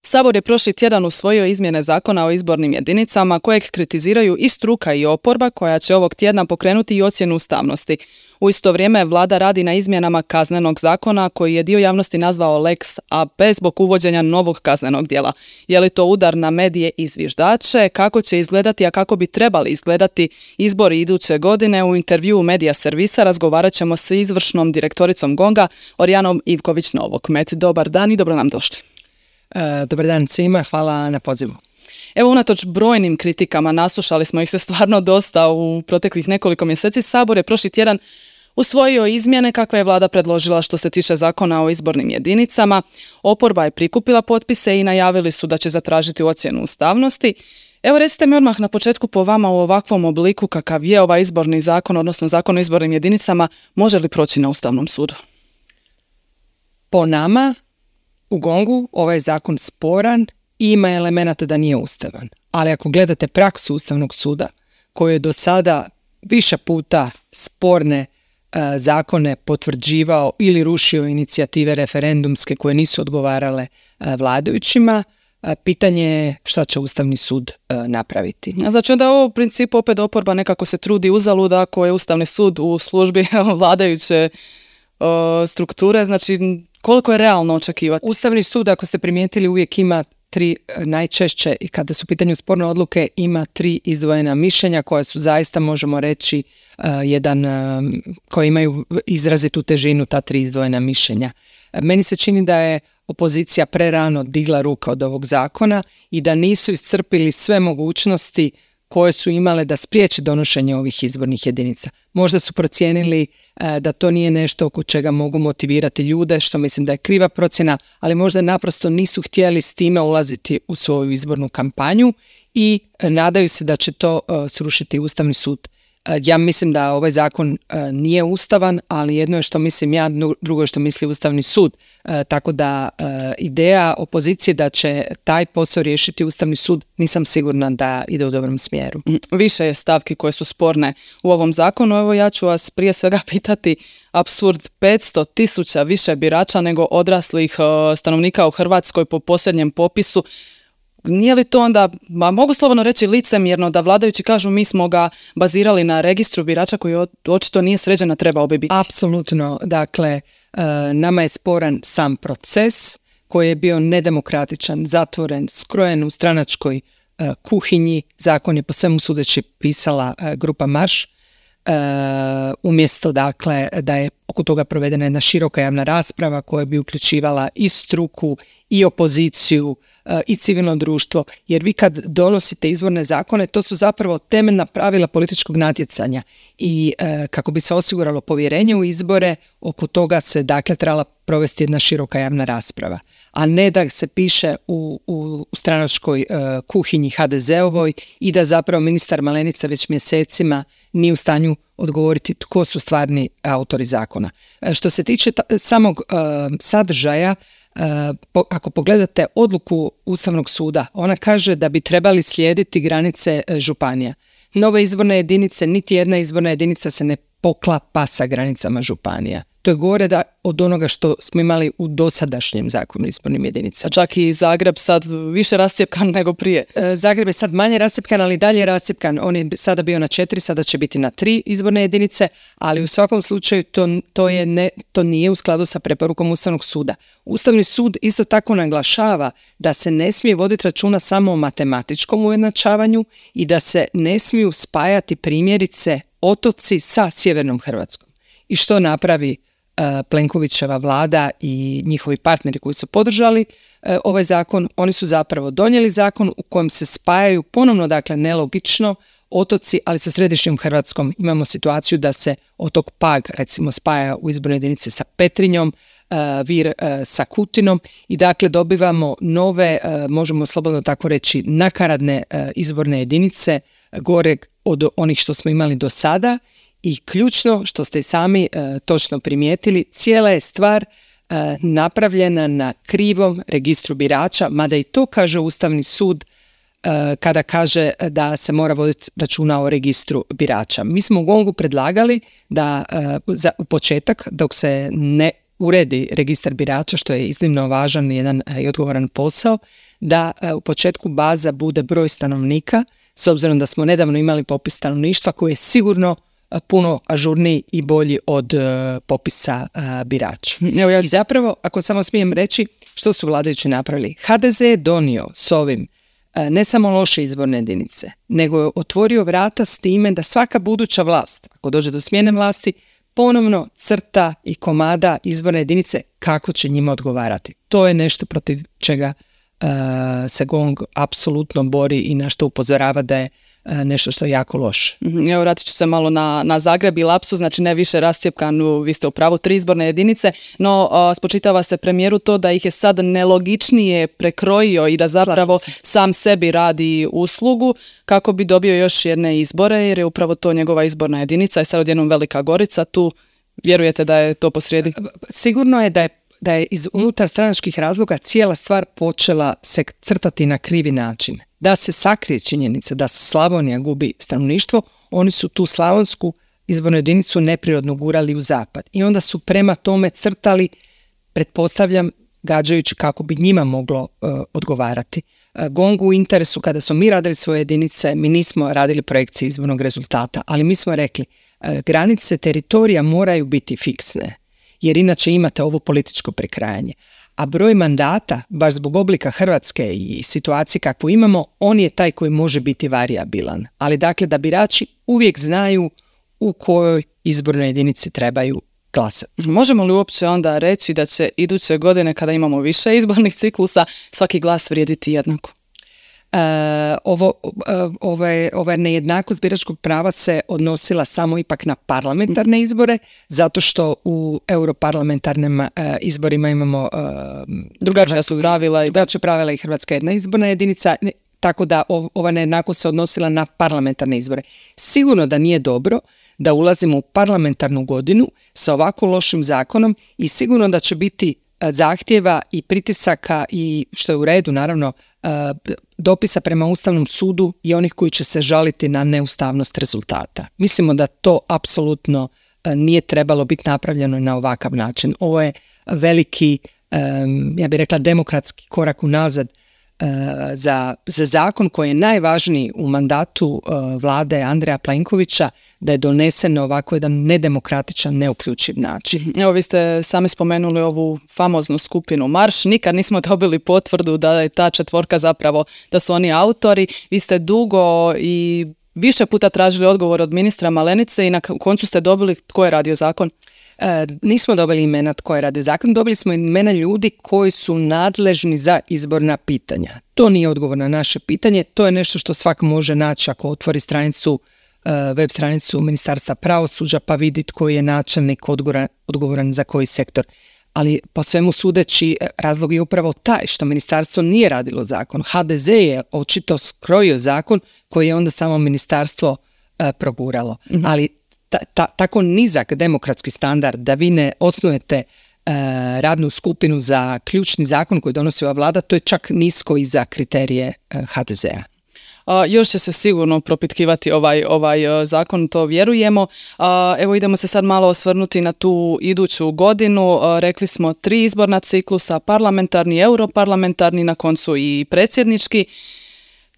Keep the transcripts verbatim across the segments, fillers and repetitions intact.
Sabor je prošli tjedan usvojio izmjene zakona o izbornim jedinicama kojeg kritiziraju i struka i oporba koja će ovog tjedna pokrenuti i ocjenu ustavnosti. U isto vrijeme vlada radi na izmjenama kaznenog zakona koji je dio javnosti nazvao Lex a pe zbog uvođenja novog kaznenog djela. Je li to udar na medije i zviždače? Kako će izgledati, a kako bi trebali izgledati izbori iduće godine? U intervjuu Medija servisa razgovarat ćemo s izvršnom direktoricom Gonga, Orijanom Ivković-Novokmet. Dobar dan i dobro nam došli. E, dobar dan svima, hvala na pozivu. Evo, unatoč brojnim kritikama, naslušali smo ih se stvarno dosta u proteklih nekoliko mjeseci, Sabor je prošli tjedan usvojio izmjene kakve je vlada predložila što se tiče zakona o izbornim jedinicama. Oporba je prikupila potpise i najavili su da će zatražiti ocjenu ustavnosti. Evo, recite mi odmah na početku po vama, u ovakvom obliku kakav je ovaj izborni zakon, odnosno zakon o izbornim jedinicama, može li proći na Ustavnom sudu? Po nama, u Gongu, ovaj zakon sporan i ima elemenata da nije ustavan. Ali ako gledate praksu Ustavnog suda, koji je do sada više puta sporne e, zakone potvrđivao ili rušio inicijative referendumske koje nisu odgovarale e, vladajućima, e, pitanje je šta će Ustavni sud e, napraviti. Znači da ovo u principu opet oporba nekako se trudi uzalud ako je Ustavni sud u službi vladajuće e, strukture, znači koliko je realno očekivati? Ustavni sud, ako ste primijetili, uvijek ima tri, najčešće i kada su u pitanju sporne odluke, ima tri izdvojena mišljenja koja su zaista, možemo reći, uh, jedan, uh, koji imaju izrazitu težinu, ta tri izdvojena mišljenja. Uh, meni se čini da je opozicija prerano digla ruka od ovog zakona i da nisu iscrpili sve mogućnosti koje su imale da spriječe donošenje ovih izbornih jedinica. Možda su procijenili e, da to nije nešto oko čega mogu motivirati ljude, što mislim da je kriva procjena, ali možda naprosto nisu htjeli s time ulaziti u svoju izbornu kampanju i e, nadaju se da će to e, srušiti Ustavni sud. E, ja mislim da ovaj zakon e, nije ustavan, ali jedno je što mislim ja, drugo je što misli Ustavni sud. E, tako da e, ideja opozicije da će taj posao riješiti Ustavni sud, nisam sigurna da ide u dobrom smjeru. Više je stavki koje su sporne u ovom zakonu. Evo, ja ću vas prije svega pitati, apsurd, petsto tisuća više birača nego odraslih e, stanovnika u Hrvatskoj po posljednjem popisu. Nije li to onda, ma mogu slobodno reći, licemjerno da vladajući kažu mi smo ga bazirali na registru birača koji očito nije sređen, a trebao bi biti? Apsolutno. Dakle, nama je sporan sam proces koji je bio nedemokratičan, zatvoren, skrojen u stranačkoj kuhinji. Zakon je po svemu sudeći pisala grupa Marš. Uh, umjesto dakle da je oko toga provedena jedna široka javna rasprava koja bi uključivala i struku i opoziciju uh, i civilno društvo, jer vi kad donosite izborne zakone, to su zapravo temeljna pravila političkog natjecanja i uh, kako bi se osiguralo povjerenje u izbore, oko toga se dakle trebala provesti jedna široka javna rasprava, a ne da se piše u, u, u stranačkoj uh, kuhinji ha de zeovoj i da zapravo ministar Malenica već mjesecima nije u stanju odgovoriti tko su stvarni autori zakona. Uh, što se tiče ta, samog uh, sadržaja, uh, po, ako pogledate odluku Ustavnog suda, ona kaže da bi trebali slijediti granice uh, županija. Nove izborne jedinice, niti jedna izborna jedinica se ne poklapa sa granicama županija. To je gore da od onoga što smo imali u dosadašnjem zakonu o izbornim jedinicama. Čak i Zagreb sad više rascjepkan nego prije. E, Zagreb je sad manje rascjepkan, ali dalje je rascjepkan. On je sada bio na četiri, sada će biti na tri izborne jedinice, ali u svakom slučaju to, to, je ne, to nije u skladu sa preporukom Ustavnog suda. Ustavni sud isto tako naglašava da se ne smije voditi računa samo o matematičkom ujednačavanju i da se ne smiju spajati primjerice otoci sa sjevernom Hrvatskom. I što napravi uh, Plenkovićeva vlada i njihovi partneri koji su podržali uh, ovaj zakon? Oni su zapravo donijeli zakon u kojem se spajaju ponovno, dakle nelogično, otoci, ali sa središnjom Hrvatskom. Imamo situaciju da se otok Pag recimo spaja u izborne jedinice sa Petrinjom, uh, Vir uh, sa Kutinom i dakle dobivamo nove, uh, možemo slobodno tako reći, nakaradne uh, izborne jedinice uh, gore od onih što smo imali do sada. I ključno, što ste sami e, točno primijetili, cijela je stvar e, napravljena na krivom registru birača, mada i to kaže Ustavni sud e, kada kaže da se mora voditi računa o registru birača. Mi smo u Gongu predlagali da e, za, u početak, dok se ne uredi registar birača, što je iznimno važan jedan i odgovoran posao, da u početku baza bude broj stanovnika, s obzirom da smo nedavno imali popis stanovništva koji je sigurno puno ažurniji i bolji od uh, popisa uh, birača. Evo ja... I zapravo, ako samo smijem reći, što su vladajući napravili? ha de ze je donio s ovim uh, ne samo loše izborne jedinice, nego je otvorio vrata s time da svaka buduća vlast, ako dođe do smjene vlasti, ponovno crta i komada izborne jedinice kako će njima odgovarati. To je nešto protiv čega uh, se GONG apsolutno bori i na što upozorava da je nešto što je jako loše. Evo, vratit ću se malo na, na Zagreb i lapsu, znači ne više rascjepkanu, vi ste u pravu, tri izborne jedinice, no a, spočitava se premijeru to da ih je sad nelogičnije prekrojio i da zapravo sam sebi radi uslugu kako bi dobio još jedne izbore, jer je upravo to njegova izborna jedinica i sad odjednom Velika Gorica, tu vjerujete da je to posrijedi? Sigurno je da je da je iz unutar stranačkih razloga cijela stvar počela se crtati na krivi način. Da se sakrije činjenica da Slavonija gubi stanovništvo, oni su tu slavonsku izbornu jedinicu neprirodno gurali u zapad. I onda su prema tome crtali, pretpostavljam, gađajući kako bi njima moglo uh, odgovarati. Uh, GONG u interesu, kada smo mi radili svoje jedinice, mi nismo radili projekcije izbornog rezultata, ali mi smo rekli, uh, granice teritorija moraju biti fiksne, jer inače imate ovo političko prekrajanje. A broj mandata, baš zbog oblika Hrvatske i situacije kakvu imamo, on je taj koji može biti varijabilan. Ali dakle, da birači uvijek znaju u kojoj izbornoj jedinici trebaju glasati. Možemo li uopće onda reći da će iduće godine, kada imamo više izbornih ciklusa, svaki glas vrijediti jednako? Uh, ovo, uh, ove, ove nejednakost biračkog prava se odnosila samo ipak na parlamentarne izbore, zato što u europarlamentarnim uh, izborima imamo uh, drugačija su pravila i drugačija pravila i Hrvatska jedna izborna jedinica, tako da ov, ova nejednakost se odnosila na parlamentarne izbore. Sigurno da nije dobro da ulazimo u parlamentarnu godinu sa ovako lošim zakonom i sigurno da će biti zahtjeva i pritisaka i, što je u redu naravno, dopisa prema Ustavnom sudu i onih koji će se žaliti na neustavnost rezultata. Mislimo da to apsolutno nije trebalo biti napravljeno na ovakav način. Ovo je veliki, ja bih rekla, demokratski korak unazad za, za zakon koji je najvažniji u mandatu vlade Andreja Plenkovića, da je donesen na ovako jedan nedemokratičan, neuključiv način. Evo, vi ste sami spomenuli ovu famoznu skupinu Marš. Nikad nismo dobili potvrdu da je ta četvorka zapravo, da su oni autori. Vi ste dugo i više puta tražili odgovor od ministra Malenice i na koncu ste dobili tko je radio zakon? E, nismo dobili imena tko je radio zakon, dobili smo imena ljudi koji su nadležni za izborna pitanja. To nije odgovor na naše pitanje, to je nešto što svak može naći ako otvori stranicu, web stranicu Ministarstva pravosuđa pa vidi tko je načelnik odgovoran, odgovoran za koji sektor. Ali po svemu sudeći razlog je upravo taj što ministarstvo nije radilo zakon. ha de ze je očito skrojio zakon koji je onda samo ministarstvo uh, proguralo. Mm-hmm. Ali ta, ta, tako nizak demokratski standard da vi ne osnujete uh, radnu skupinu za ključni zakon koji donosi ova vlada, to je čak nisko i za kriterije uh, ha de zea. Uh, još će se sigurno propitkivati ovaj, ovaj uh, zakon, to vjerujemo. Uh, evo idemo se sad malo osvrnuti na tu iduću godinu. Uh, rekli smo tri izborna ciklusa, parlamentarni, europarlamentarni, na koncu i predsjednički.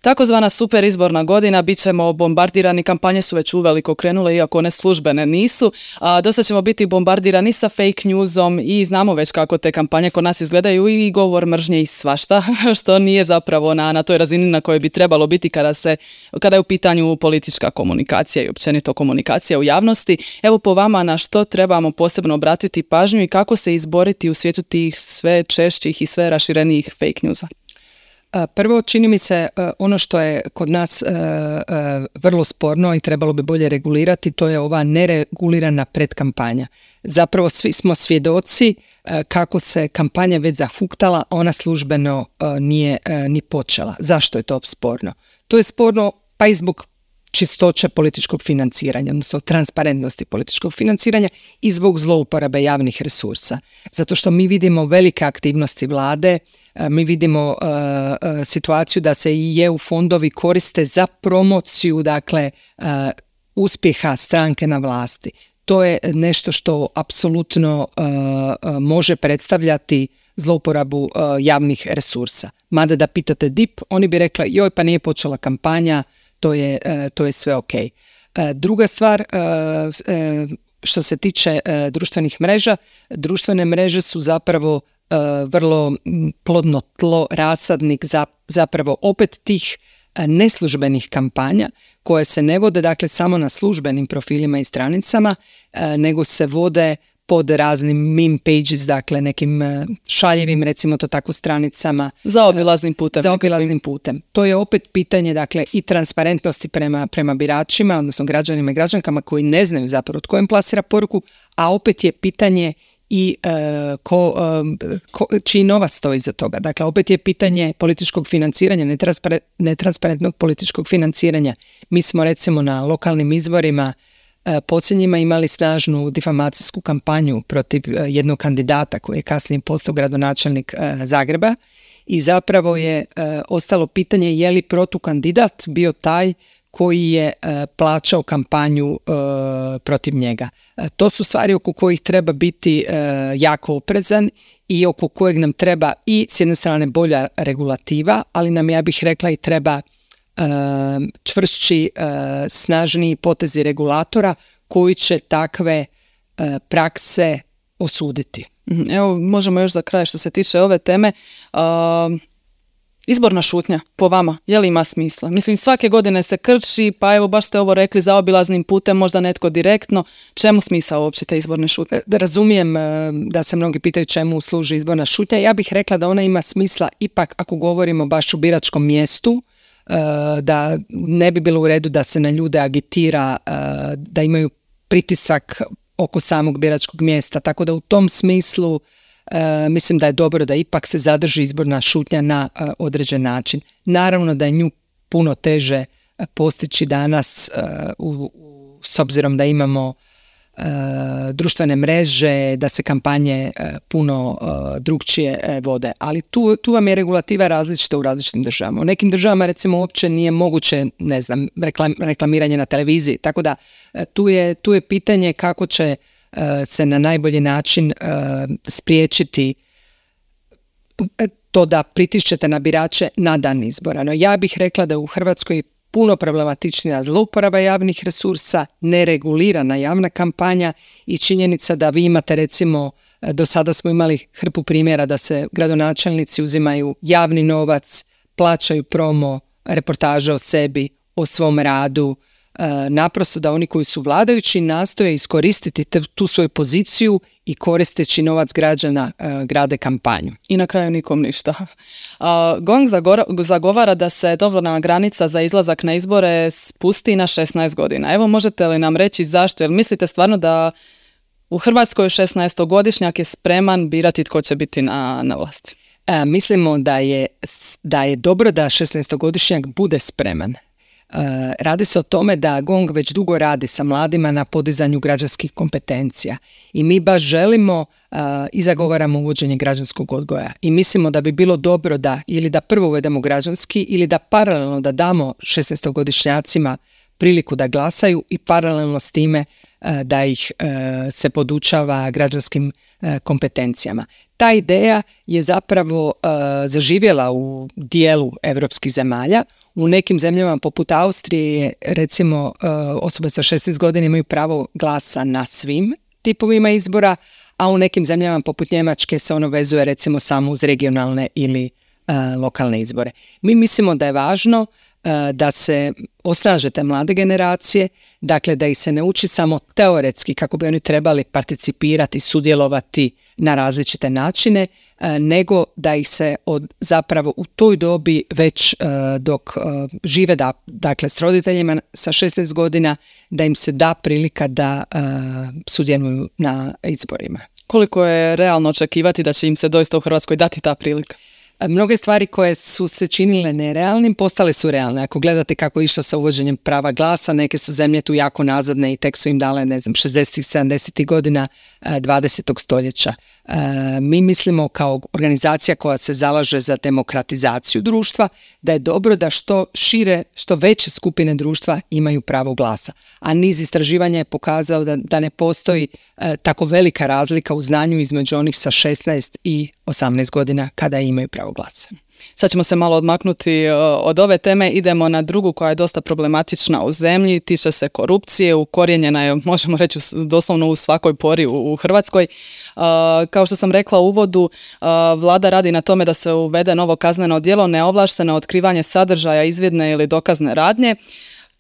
Takozvana super izborna godina, bit ćemo bombardirani, kampanje su već uveliko krenule, iako one službene nisu. A, dosta ćemo biti bombardirani sa fake newsom i znamo već kako te kampanje kod nas izgledaju i govor mržnje i svašta, što nije zapravo na, na toj razini na kojoj bi trebalo biti kada, se, kada je u pitanju politička komunikacija i općenito komunikacija u javnosti. Evo po vama na što trebamo posebno obratiti pažnju i kako se izboriti u svijetu tih sve češćih i sve raširenijih fake newsa? Prvo, čini mi se ono što je kod nas vrlo sporno i trebalo bi bolje regulirati, to je ova neregulirana predkampanja. Zapravo svi smo svjedoci kako se kampanja već zahuktala, ona službeno nije ni počela. Zašto je to sporno? To je sporno pa i zbog čistoće političkog financiranja, odnosno transparentnosti političkog financiranja i zbog zlouporabe javnih resursa. Zato što mi vidimo velike aktivnosti vlade, mi vidimo uh, uh, situaciju da se i e u fondovi koriste za promociju, dakle, uh, uspjeha stranke na vlasti. to je nešto što apsolutno uh, može predstavljati zlouporabu uh, javnih resursa. Mada da pitate D I P, oni bi rekli joj pa nije počela kampanja, to je, uh, to je sve ok. Uh, druga stvar, uh, uh, što se tiče uh, društvenih mreža, društvene mreže su zapravo uh, vrlo plodno tlo, rasadnik za, zapravo opet tih uh, neslužbenih kampanja koje se ne vode dakle samo na službenim profilima i stranicama, uh, nego se vode pod raznim meme pages, dakle nekim šaljivim, recimo to tako, stranicama. Zaobilaznim putem. Zaobilaznim putem. To je opet pitanje, dakle, i transparentnosti prema, prema biračima, odnosno građanima i građankama koji ne znaju zapravo tko im plasira poruku, a opet je pitanje i uh, ko, uh, ko, čiji novac stoji iza toga. Dakle, opet je pitanje političkog financiranja, netranspare, netransparentnog političkog financiranja. Mi smo recimo na lokalnim izborima posljednjima imali snažnu difamacijsku kampanju protiv jednog kandidata koji je kasnije postao gradonačelnik Zagreba i zapravo je ostalo pitanje je li protukandidat bio taj koji je plaćao kampanju protiv njega. To su stvari oko kojih treba biti jako oprezan i oko kojeg nam treba i s jedne strane bolja regulativa, ali nam, ja bih rekla, i treba čvršći, snažniji potezi regulatora koji će takve prakse osuditi. Evo, možemo još za kraj što se tiče ove teme. Uh, izborna šutnja, po vama, je li ima smisla? Mislim, svake godine se krči, pa evo, baš ste ovo rekli, zaobilaznim putem, možda netko direktno. Čemu smisao uopće te izborne šutnje? Da razumijem da se mnogi pitaju čemu služi izborna šutnja. Ja bih rekla da ona ima smisla ipak ako govorimo baš u biračkom mjestu, da ne bi bilo u redu da se na ljude agitira, da imaju pritisak oko samog biračkog mjesta. Tako da u tom smislu mislim da je dobro da ipak se zadrži izborna šutnja na određen način. Naravno da je nju puno teže postići danas u, u, s obzirom da imamo Uh, društvene mreže, da se kampanje uh, puno uh, drugčije uh, vode. Ali tu, tu vam je regulativa različita u različitim državama. U nekim državama recimo uopće nije moguće, ne znam, reklam, reklamiranje na televiziji. Tako da uh, tu, je, tu je pitanje kako će uh, se na najbolji način uh, spriječiti to da pritišćete na birače na dan izbora. No ja bih rekla da u Hrvatskoj puno problematičnija zlouporaba javnih resursa, neregulirana javna kampanja i činjenica da vi imate, recimo, do sada smo imali hrpu primjera da se gradonačelnici uzimaju javni novac, plaćaju promo, reportaže o sebi, o svom radu, naprosto da oni koji su vladajući nastoje iskoristiti tu svoju poziciju i koristeći novac građana grade kampanju. I na kraju nikom ništa. Gong zagovara da se dobna granica za izlazak na izbore spusti na šesnaest godina. Evo, možete li nam reći zašto? Jel mislite stvarno da u Hrvatskoj šesnaestogodišnjak je spreman birati tko će biti na, na vlasti? E, mislimo da je, da je dobro da šesnaestogodišnjak bude spreman. Uh, radi se o tome da Gong već dugo radi sa mladima na podizanju građanskih kompetencija i mi baš želimo uh, i zagovaramo uvođenje građanskog odgoja i mislimo da bi bilo dobro da ili da prvo uvedemo građanski ili da paralelno da damo šesnaestogodišnjacima priliku da glasaju i paralelno s time uh, da ih uh, se podučava građanskim uh, kompetencijama. Ta ideja je zapravo uh, zaživjela u dijelu europskih zemalja. U nekim zemljama poput Austrije, recimo, osobe sa šesnaest godina imaju pravo glasa na svim tipovima izbora, a u nekim zemljama poput Njemačke se ono vezuje recimo samo uz regionalne ili uh, lokalne izbore. Mi mislimo da je važno uh, da se osnaže te mlade generacije, dakle da ih se ne uči samo teoretski kako bi oni trebali participirati, sudjelovati na različite načine, nego da ih se od, zapravo u toj dobi već uh, dok uh, žive da, dakle s roditeljima sa šesnaest godina, da im se da prilika da uh, sudjeluju na izborima. Koliko je realno očekivati da će im se doista u Hrvatskoj dati ta prilika? Mnoge stvari koje su se činile nerealnim postale su realne. Ako gledate kako je išlo sa uvođenjem prava glasa, neke su zemlje tu jako nazadne i tek su im dale, ne znam, šezdesetih, sedamdesetih godina dvadesetog stoljeća. Mi mislimo kao organizacija koja se zalaže za demokratizaciju društva da je dobro da što šire, što veće skupine društva imaju pravo glasa. A niz istraživanja je pokazao da, da ne postoji e, tako velika razlika u znanju između onih sa šesnaest i osamnaest godina kada imaju pravo glasa. Sad ćemo se malo odmaknuti od ove teme, idemo na drugu koja je dosta problematična u zemlji, tiče se korupcije, ukorijenjena je, možemo reći, doslovno u svakoj pori u, u Hrvatskoj. Uh, kao što sam rekla u uvodu, uh, vlada radi na tome da se uvede novo kazneno djelo neovlašteno otkrivanje sadržaja izvidne ili dokazne radnje,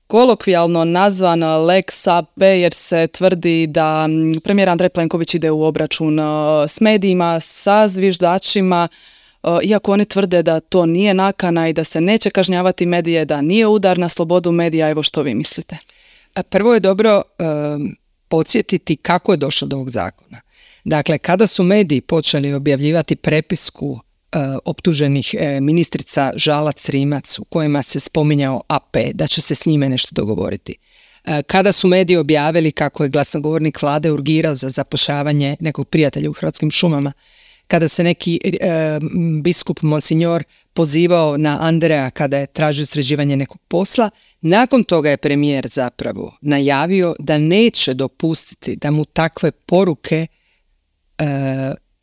kolokvijalno nazvan Lex A P jer se tvrdi da premijer Andrej Plenković ide u obračun uh, s medijima, sa zviždačima, iako oni tvrde da to nije nakana i da se neće kažnjavati medije, da nije udar na slobodu medija. Evo što vi mislite? Prvo je dobro um, podsjetiti kako je došlo do ovog zakona. Dakle, kada su mediji počeli objavljivati prepisku uh, optuženih uh, ministrica Žalac-Rimac u kojima se spominjao A P, da će se s njime nešto dogovoriti. Uh, kada su mediji objavili kako je glasnogovornik vlade urgirao za zapošljavanje nekog prijatelja u Hrvatskim šumama, kada se neki e, biskup Monsignor pozivao na Andreja kada je tražio sređivanje nekog posla, nakon toga je premijer zapravo najavio da neće dopustiti da mu takve poruke e,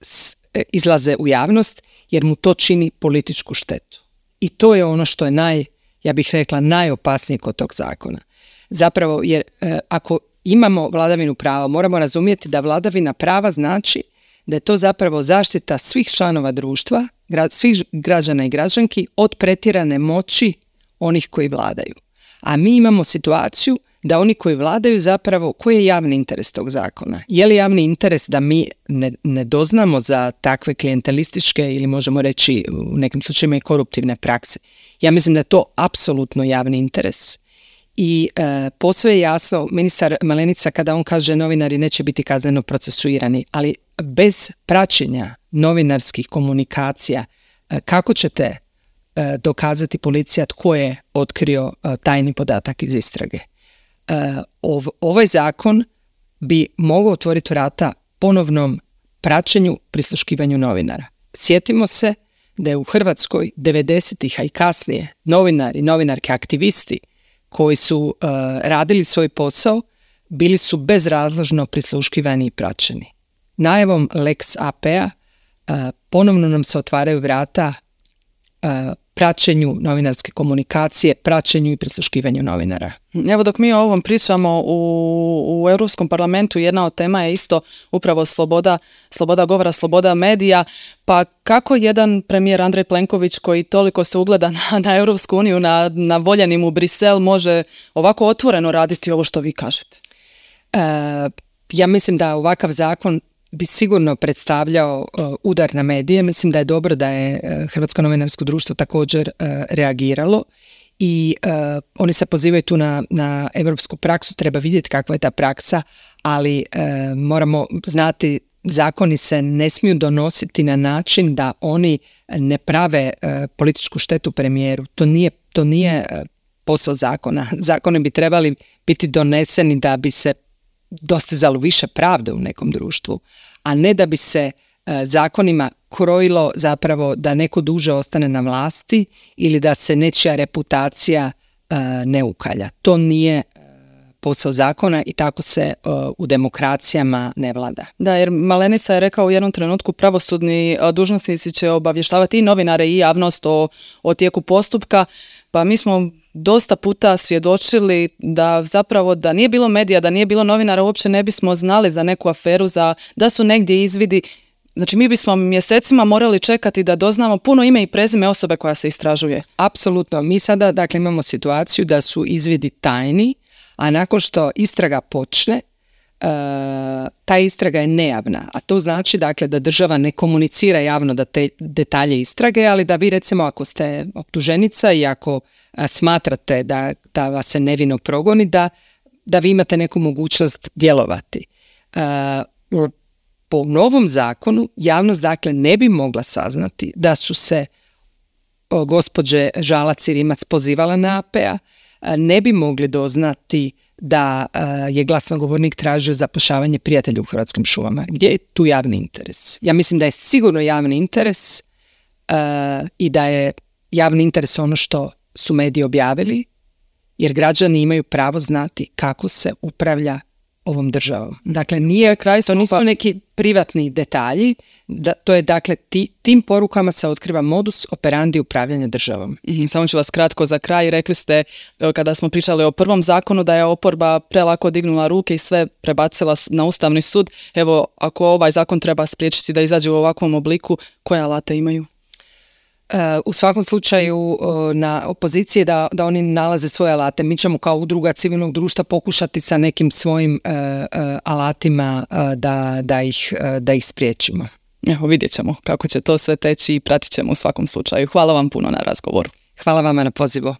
s, e, izlaze u javnost, jer mu to čini političku štetu. I to je ono što je naj, ja bih rekla, najopasnije kod tog zakona. Zapravo, jer e, ako imamo vladavinu prava, moramo razumjeti da vladavina prava znači da je to zapravo zaštita svih članova društva, svih građana i građanki od pretjerane moći onih koji vladaju. A mi imamo situaciju da oni koji vladaju zapravo, koji je javni interes tog zakona? Je li javni interes da mi ne, ne doznamo za takve klijentelističke ili možemo reći u nekim slučajima i koruptivne prakse? Ja mislim da je to apsolutno javni interes. I e, posve je jasno, ministar Malenica kada on kaže novinari neće biti kazneno procesuirani, ali bez praćenja novinarskih komunikacija, e, kako ćete e, dokazati policija tko je otkrio e, tajni podatak iz istrage? E, ov, ovaj zakon bi mogao otvoriti vrata ponovnom praćenju, prisluškivanju novinara. Sjetimo se da je u Hrvatskoj devedesetih, a i kasnije, novinari, novinarke, aktivisti koji su uh, radili svoj posao, bili su bezrazložno prisluškivani i praćeni. Najavom Lex A P-a uh, ponovno nam se otvaraju vrata uh, praćenju novinarske komunikacije, praćenju i prisluškivanju novinara. Evo dok mi o ovom pričamo u, u Europskom parlamentu, jedna od tema je isto upravo sloboda, sloboda govora, sloboda medija. Pa kako jedan premijer Andrej Plenković koji toliko se ugleda na, na Europsku uniju, na, na voljenim u Brisel, može ovako otvoreno raditi ovo što vi kažete? E, ja mislim da ovakav zakon bi sigurno predstavljao uh, udar na medije. Mislim da je dobro da je uh, Hrvatsko novinarsko društvo također uh, reagiralo i uh, oni se pozivaju tu na, na europsku praksu, treba vidjeti kakva je ta praksa, ali uh, moramo znati, zakoni se ne smiju donositi na način da oni ne prave uh, političku štetu premijeru. To nije, to nije uh, posao zakona. Zakoni bi trebali biti doneseni da bi se dostizalo više pravde u nekom društvu, a ne da bi se e, zakonima krojilo zapravo da neko duže ostane na vlasti ili da se nečija reputacija e, ne ukalja. To nije e, posao zakona i tako se e, u demokracijama ne vlada. Da, jer Malenica je rekao u jednom trenutku pravosudni e, dužnosnici će obavještavati i novinare i javnost o, o tijeku postupka, pa mi smo dosta puta svjedočili da zapravo da nije bilo medija, da nije bilo novinara, uopće ne bismo znali za neku aferu, za da su negdje izvidi. Znači mi bismo mjesecima morali čekati da doznamo puno ime i prezime osobe koja se istražuje. Apsolutno. Mi sada dakle imamo situaciju da su izvidi tajni, a nakon što istraga počne, Uh, ta istraga je nejavna, a to znači dakle da država ne komunicira javno da te detalje istrage, ali da vi recimo ako ste optuženica i ako uh, smatrate da, da vas se nevino progoni, da, da vi imate neku mogućnost djelovati. Uh, po novom zakonu javnost dakle ne bi mogla saznati da su se o, gospođe Žalac i Rimac pozivala na A P A, ne bi mogli doznati da je glasnogovornik tražio zapošljavanje prijatelja u Hrvatskim šumama. Gdje je tu javni interes? Ja mislim da je sigurno javni interes uh, i da je javni interes ono što su mediji objavili, jer građani imaju pravo znati kako se upravlja ovom državom. Dakle, nije kraj, to nisu neki privatni detalji, da, to je dakle ti, tim porukama se otkriva modus operandi upravljanja državom. Mm, samo ću vas kratko za kraj. Rekli ste, kada smo pričali o prvom zakonu, da je oporba prelako dignula ruke i sve prebacila na Ustavni sud. Evo, ako ovaj zakon treba spriječiti da izađe u ovakvom obliku, koje alate imaju? U svakom slučaju na opoziciji da, da oni nalaze svoje alate. Mi ćemo kao udruga civilnog društva pokušati sa nekim svojim uh, uh, alatima uh, da, da, ih, uh, da ih spriječimo. Evo, vidjet ćemo kako će to sve teći i pratit ćemo u svakom slučaju. Hvala vam puno na razgovoru. Hvala vama na pozivu.